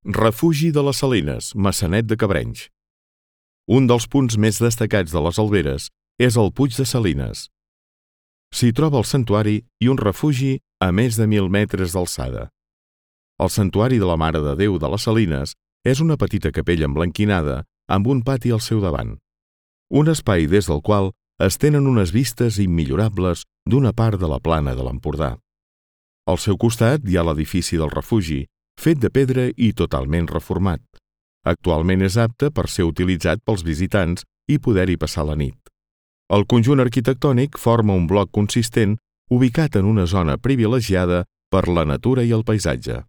Refugi de les Salines, Maçanet de Cabrenys. Un dels punts més destacats de les Alberes és el Puig de Salines. S'hi troba el santuari i un refugi a més de 1.000 metres d'alçada. El santuari de la Mare de Déu de les Salines és una petita capella emblanquinada amb un pati al seu davant. Un espai des del qual es tenen unes vistes immillorables d'una part de la plana de l'Empordà. Al seu costat hi ha l'edifici del refugi, fet de pedra i totalment reformat. Actualment és apte per ser utilitzat pels visitants i poder-hi passar la nit. El conjunt arquitectònic forma un bloc consistent ubicat en una zona privilegiada per la natura i el paisatge.